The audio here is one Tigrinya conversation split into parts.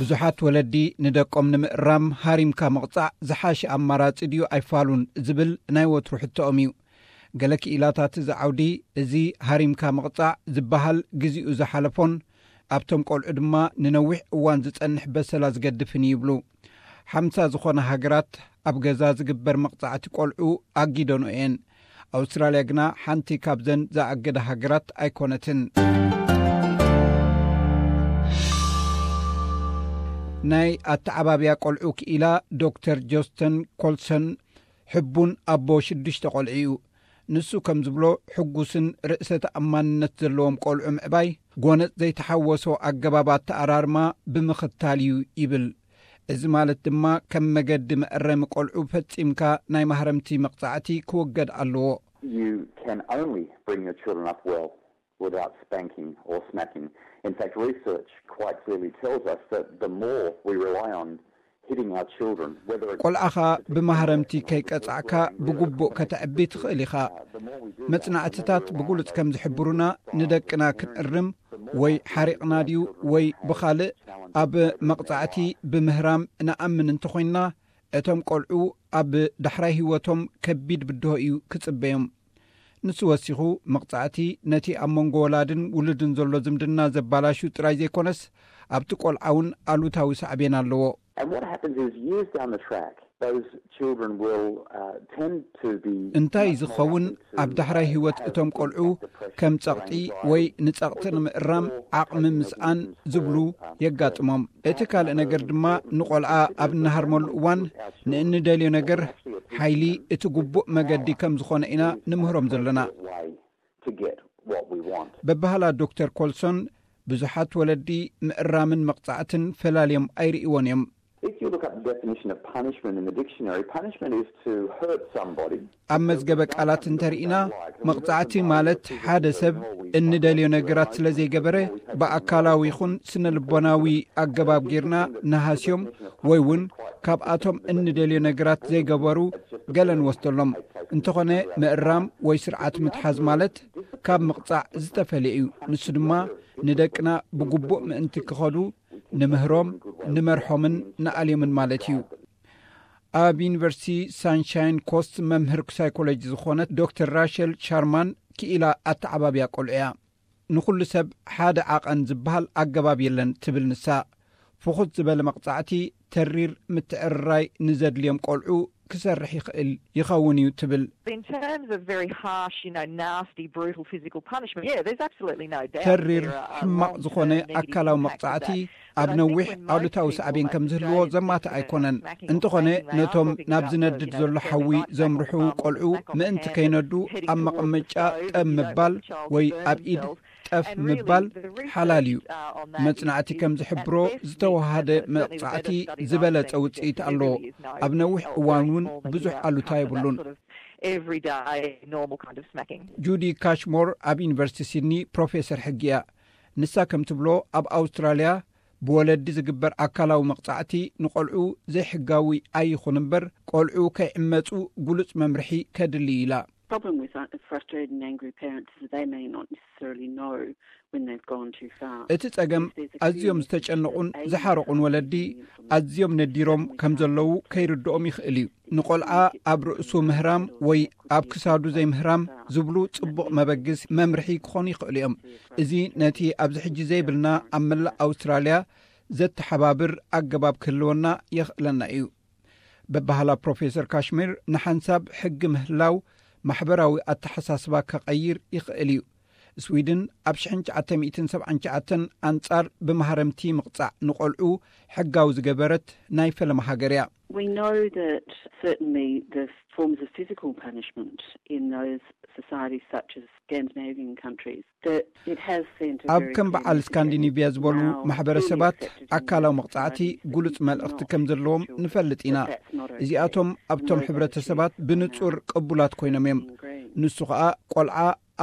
ብዙሓት ወለዲ ንደቆም ንምእራም ሃሪምካ ምቕጻዕ ዝሓሸ ኣማራጺ ድዩ ኣይፋሉን ዝብል ናይ ወትሩ ሕቶኦም እዩ። ገለ ክኢላታት እዚ ዓውዲ፣ እዚ ሃሪምካ ምቕጻዕ ዝበሃል ግዜኡ ዝሓለፎን ኣብቶም ቆልዑ ድማ ንነዊሕ እዋን ዝጸንሕ በሰላ ዝገድፍን እዩ ይብሉ። ሓምሳ ዝኾና ሃገራት ኣብ ገዛ ዝግበር መቕጻዕቲ ቆልዑ ኣጊደኖ እየን። ኣውስትራልያ ግና ሓንቲ ካብዘን ዝኣገዳ ሃገራት ኣይኮነትን። ናይ ኣተዓባብያ ቆልዑ ክኢላ ዶክተር ጆስተን ኮልሰን ሕቡን ኣቦ ሽዱሽተ ቆልዑ እዩ። ንሱ ከም ዝብሎ፣ ሕጉስን ርእሰ ተኣማንነት ዘለዎም ቆልዑ ምዕባይ ጎነጽ ዘይተሓወሶ ኣገባብ ኣተኣራርማ ብምኽታል እዩ ይብል። እዚ ማለት ድማ ከም መገዲ መእረሚ ቆልዑ ፈጺምካ ናይ ማህረምቲ መቕጻዕቲ ክወገድ ኣለዎ። You can only bring your children up well without spanking or smacking. In fact, research quite clearly tells us that the more we rely on hitting our children, whether it's ቆልዓኻ ብማህረምቲ ከይቀጻዕካ ብግቡእ ከተዕቢ ትኽእል ኢኻ። መጽናዕትታት ብግሉጽ ከም ዝሕብሩና፣ ንደቅና ክንእርም ወይ ሓሪቕና ድዩ ወይ ብኻልእ ኣብ መቕጻዕቲ ብምህራም ንኣምን እንተኾይንና፣ እቶም ቆልዑ ኣብ ዳሕራይ ህይወቶም ከቢድ ብድሆ እዩ ክጽበዮም። ንሱ ወሲኹ፣ መቕጻዕቲ ነቲ ኣብ መንጎ ወላድን ውሉድን ዘሎ ዝምድና ዘባላሹ ጥራይ ዘይኮነስ፣ ኣብቲ ቆልዓ እውን ኣሉታዊ ሳዕቤን ኣለዎ። And what happens is, years down the track, those children will uh, tend to be እንታይ ዝኸውን፣ ኣብ ዳሕራይ ህይወት እቶም ቆልዑ ከም ጸቕጢ ወይ ንጸቕጢ ንምእራም ዓቕሚ ምስኣን ዝብሉ የጋጥሞም። እቲ ካልእ ነገር ድማ፣ ንቆልዓ ኣብ እንሃርመሉ እዋን ንእንደልዮ ነገር ሓይሊ እቲ ግቡእ መገዲ ከም ዝኾነ ኢና ንምህሮም ዘለና። way to get what we want. በባህላ ዶክተር ኮልሶን፣ ብዙሓት ወለዲ ምእራምን መቕጻዕትን ፈላልዮም ኣይርእይዎን እዮም። If you look up the definition of punishment in the dictionary, punishment is to hurt somebody. ኣብ መዝገበ ቃላት እንተርኢና፣ መቕጻዕቲ ማለት ሓደ ሰብ እንደልዮ ነገራት ስለ ዘይገበረ፣ ብኣካላዊ ይኹን ስነ ልቦናዊ ኣገባብ ጌርና ንሃስዮም ወይ እውን ካብኣቶም እንደልዮ ነገራት ዘይገበሩ ገለ ንወስደሎም። እንተኾነ፣ ምእራም ወይ ስርዓት ምትሓዝ ማለት ካብ ምቕጻዕ ዝተፈልየ እዩ። ንሱ ድማ ንደቅና ብግቡእ ምእንቲ ክኸዱ ንምህሮም፣ ንመርሖምን ንኣልዮምን ማለት እዩ። ኣብ ዩኒቨርሲቲ ሳንሻይን ኮስት መምህር ሳይኮሎጂ ዝኾነት ዶክተር ራሸል ሻርማን ክኢላ ኣተዓባብያ ቆልዑ እያ። ንኹሉ ሰብ ሓደ ዓቐን ዝበሃል ኣገባብ የለን ትብል ንሳ። ፍኹት ዝበለ መቕጻዕቲ ተሪር ምትዕርራይ ንዘድልዮም ቆልዑ ክሰርሕ ይኽእል ይኸውን እዩ ትብል። In terms of very harsh, you know, nasty, brutal physical punishment, yeah, there's absolutely no doubt. ተሪር ሕማቕ ዝኾነ ኣካላዊ መቕጻዕቲ ኣብ ነዊሕ ኣሉታዊ ሳዕቤን ከም ዝህልዎ ዘማትእ ኣይኮነን። እንተኾነ፣ ነቶም ናብ ዝነድድ ዘሎ ሓዊ ዘምርሑ ቆልዑ ምእንቲ ከይነዱ ኣብ መቐመጫ ጠብ ምባል ወይ ኣብ ኢድ ጠፍ ምባል ሓላል እዩ። መጽናዕቲ ከም ዝሕብሮ፣ ዝተወሃደ መቕጻዕቲ ዝበለጸ ውጽኢት ኣለዎ። ኣብ ነዊሕ እዋን እውን ብዙሕ ኣሉታ የብሉን። Everyday normal kind of smacking. ጁዲ ካሽሞር ኣብ ዩኒቨርሲቲ ሲድኒ ፕሮፌሰር ሕጊ እያ። ንሳ ከም ትብሎ፣ ኣብ ኣውስትራልያ ብወለዲ ዝግበር ኣካላዊ መቕጻዕቲ ንቆልዑ ዘይሕጋዊ ኣይኹን እምበር፣ ቆልዑ ከይዕመጹ ግሉጽ መምርሒ ከድሊ ኢላ። Problem with uh, frustrated and angry parents is that they may not necessarily know when they've gone too far. እቲ ጸገም፣ ኣዝዮም ዝተጨነቑን ዝሓረቑን ወለዲ ኣዝዮም ነዲሮም ከም ዘለዉ ከይርድኦም ይኽእል እዩ። ንቆልዓ ኣብ ርእሱ ምህራም ወይ ኣብ ክሳዱ ዘይምህራም ዝብሉ ጽቡቕ መበግስ መምርሒ ክኾኑ ይኽእሉ እዮም። እዚ ነቲ ኣብዚ ሕጂ ዘይብልና ኣብ መላእ ኣውስትራልያ ዘተሓባብር ኣገባብ ክህልወና የኽእለና እዩ። በባህላ ፕሮፌሰር ካሽሚር፣ ንሓንሳብ ሕጊ ምህላው ማሕበራዊ ኣተሓሳስባ ከቐይር ይኽእል እዩ። ስዊድን ኣብ ሽሕን ትሽዓተ ሚእትን ሰብዓን ትሽዓተን ኣንጻር ብማህረምቲ ምቕጻዕ ንቆልዑ ሕጋዊ ዝገበረት ናይ ፈለማ ሃገር እያ። We know that certainly the forms of physical punishment in those societies such as Scandinavian countries, that it has sent a ኣብ very ከም clear በዓል message ስካንዲኔቪያ ዝበሉ now ማሕበረሰባት fully accepted in ኣካላዊ most መቕጻዕቲ societies that ግሉጽ you መልእኽቲ cannot ከም ዘለዎም punish children, ንፈልጥ ኢና። that that's not okay. እዚኣቶም ኣብቶም Those ሕብረተሰባት attitudes are ብንጹር now ቅቡላት ኮይኖም እዮም። ingrained. ንሱ ኸኣ ቆልዓ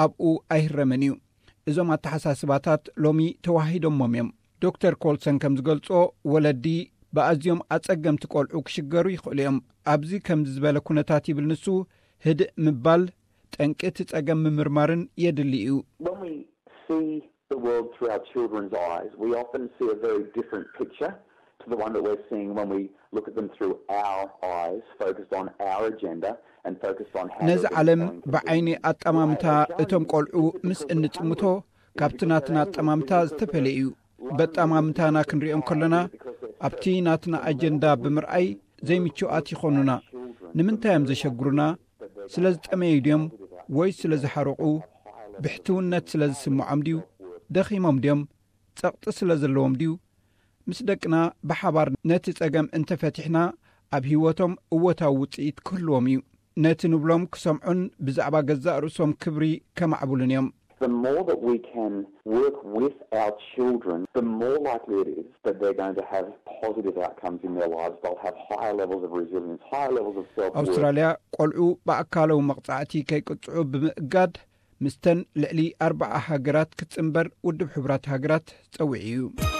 ኣብኡ ኣይህረምን እዩ። እዞም ኣተሓሳስባታት ሎሚ ተዋሂዶሞም እዮም። ዶክተር ኮልሰን ከም ዝገልጾ፣ ወለዲ ብኣዝዮም ኣጸገምቲ ቆልዑ ክሽገሩ ይኽእሉ እዮም። ኣብዚ ከምዚ ዝበለ ኩነታት፣ ይብል ንሱ፣ ህድእ ምባል፣ ጠንቂ እቲ ጸገም ምምርማርን የድሊ እዩ። When we see the world through our children's eyes, we often see a very different picture The one that we're seeing when we look at them through our eyes, focused on our agenda and focused on how ነዚ ዓለም ብዓይኒ ኣጠማምታ እቶም ቆልዑ ምስ እንጥምቶ ካብቲ ናትና ኣጠማምታ ዝተፈለየ እዩ። በጠማምታና ክንሪኦም ከለና ኣብቲ ናትና ኣጀንዳ ብምርኣይ ዘይምቹኣት ይኾኑና። ንምንታይ እዮም ዘሸግሩና? ስለ ዝጠመዩ ድዮም ወይ ስለ ዝሓረቑ? ብሕትውነት ስለ ዝስምዖም ድዩ? ደኺሞም ድዮም? ጸቕጢ ስለ ዘለዎም ድዩ? ምስ ደቅና ብሓባር ነቲ ጸገም እንተፈቲሕና ኣብ ህይወቶም እወታዊ ውጽኢት ክህልዎም እዩ። ነቲ ንብሎም ክሰምዑን ብዛዕባ ገዛእ ርእሶም ክብሪ ከማዕብሉን እዮም። The more that we can work with our children, the more likely it is that they're going to have positive outcomes in their lives. They'll have higher levels of resilience, higher levels of self-worth. ኣውስትራልያ ቆልዑ ብኣካላዊ መቕጻዕቲ ከይቅጽዑ ብምእጋድ ምስተን ልዕሊ ኣርባዓ ሃገራት ክትጽንበር ውድብ ሕቡራት ሃገራት ጸዊዑ እዩ።